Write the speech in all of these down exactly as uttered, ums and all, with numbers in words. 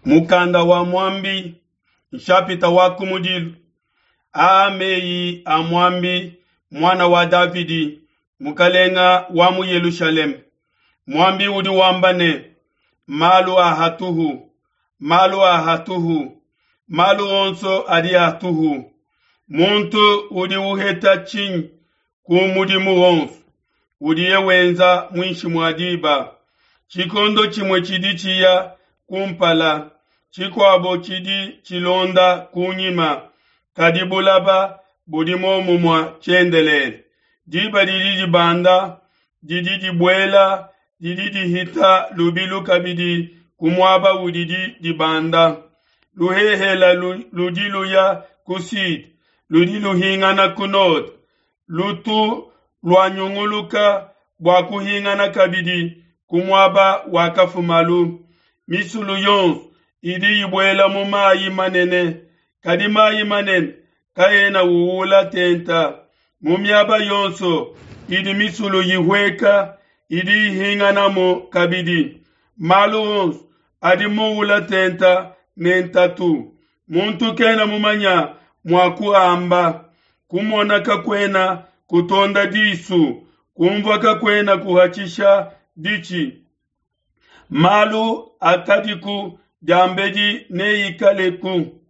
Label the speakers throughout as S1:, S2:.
S1: Mukanda wa Muambi, nshapita wa kumudilu. Aa meyi a Muambi, muana wa Davidi, mukalenga wa mu Yelushalema. Muambi udi wamba ne, malu a hatuhu, malu a hatuhu, malu onso adi hatuhu. Muntu udi uheta tshinyi ku mudimu wonso udiye wenza muinshi mua diba? Tshikondo tshimue tshidi tshiya kumpala, tshikuabo tshidi tshilonda kunyima, kadi bulaba budi momumue tshiendelele. Diba didi dibanda, didi dibuela, didi dihita lubilu kabidi ku muaba udidi dibanda. Luhehela ludi luya ku sud, ludi luhingana ku node, lutu luanyunguluka bua kuhingana kabidi ku muaba wakafumalu. Misulu yonso idi ibuela mu mayi manene, kadi mayi manene kaena uwula tenta. Mu miaba yonso idi misulu ihueka, idi ihinganamu kabidi. Malu onso adi muula tenta ne ntatu, muntu kena mumanya mua kuamba. Kumona kakuena kutonda disu, kumvua kakuena kuhatshisha ditshi. Malu akadiku diambedi neikaleku,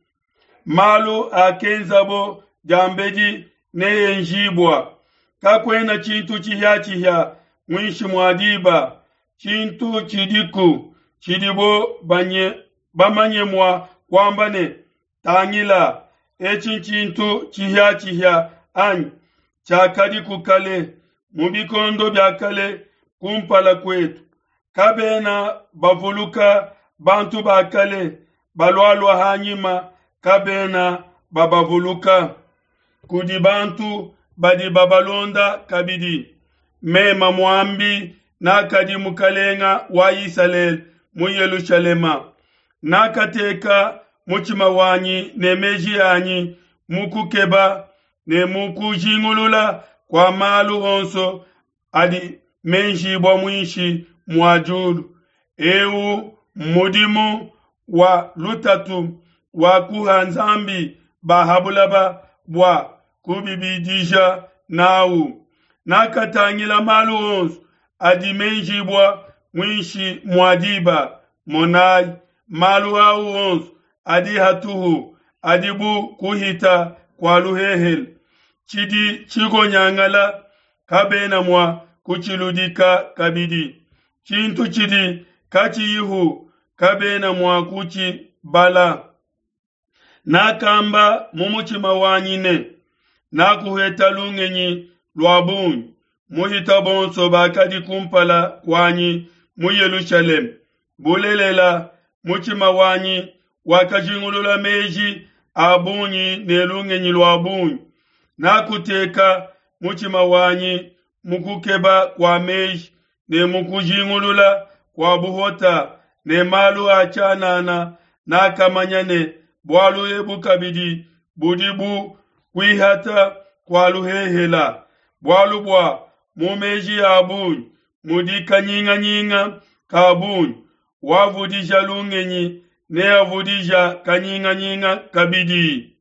S1: malu akenzabo diambedi neenjibua. Kakuena tshintu tshihiatshihia muinshi mua diba, tshintu tshidiku tshidibo banye, bamanye mua kuamba ne, tangila, etshi ntshintu tshihiatshihia anyi tshiakadiku kale mu bikondo bia kale kumpala kuetu. Kabena bavuluka bantu ba kale, balualua hanyima kabena babavuluka. Kudi bantu badi babalonda kabidi. Mema muambi nakadi mukalenga wa Isalele mu Yelushalema. Nakateka mutshima wanyi ne meji anyi mu kukeba ne mu kujingulula kua malu onso adi menjibua muinshi mua diulu. Eu mmudimu wa lutatu wa kuha Nzambi ba ha bulaba bua kubibidija nawu. Nakatangila malu onso adi menjibua muinshi mua diba. Monai, malu au onso adi hatuhu, adi bu kuhita kua luhehele. Tshidi tshikonyangala kabena mua kutshiludika kabidi. Tshintu tshidi katshiyihu kabena mua kutshibala. Nakamba mu mutshima wanyi ne, nakuheta lungenyi lua bungi muhita bonso bakadi kumpala kuanyi mu Yelushalema. Bulelela, mutshima wanyi wakajingulula meji a bungi ne lungenyi lua bungi. Nakuteka mutshima wanyi mu kukeba kua meji ne mu kujingulula kua buhota ne malu a tshianana. Nakamanya ne bualu ebu kabidi budi bu kuihata kua luhehela. Bualu bua mu meji a bungi mudi kanyinganyinga ka bungi, wavudija lungenyi neavudija kanyinganyinga kabidi.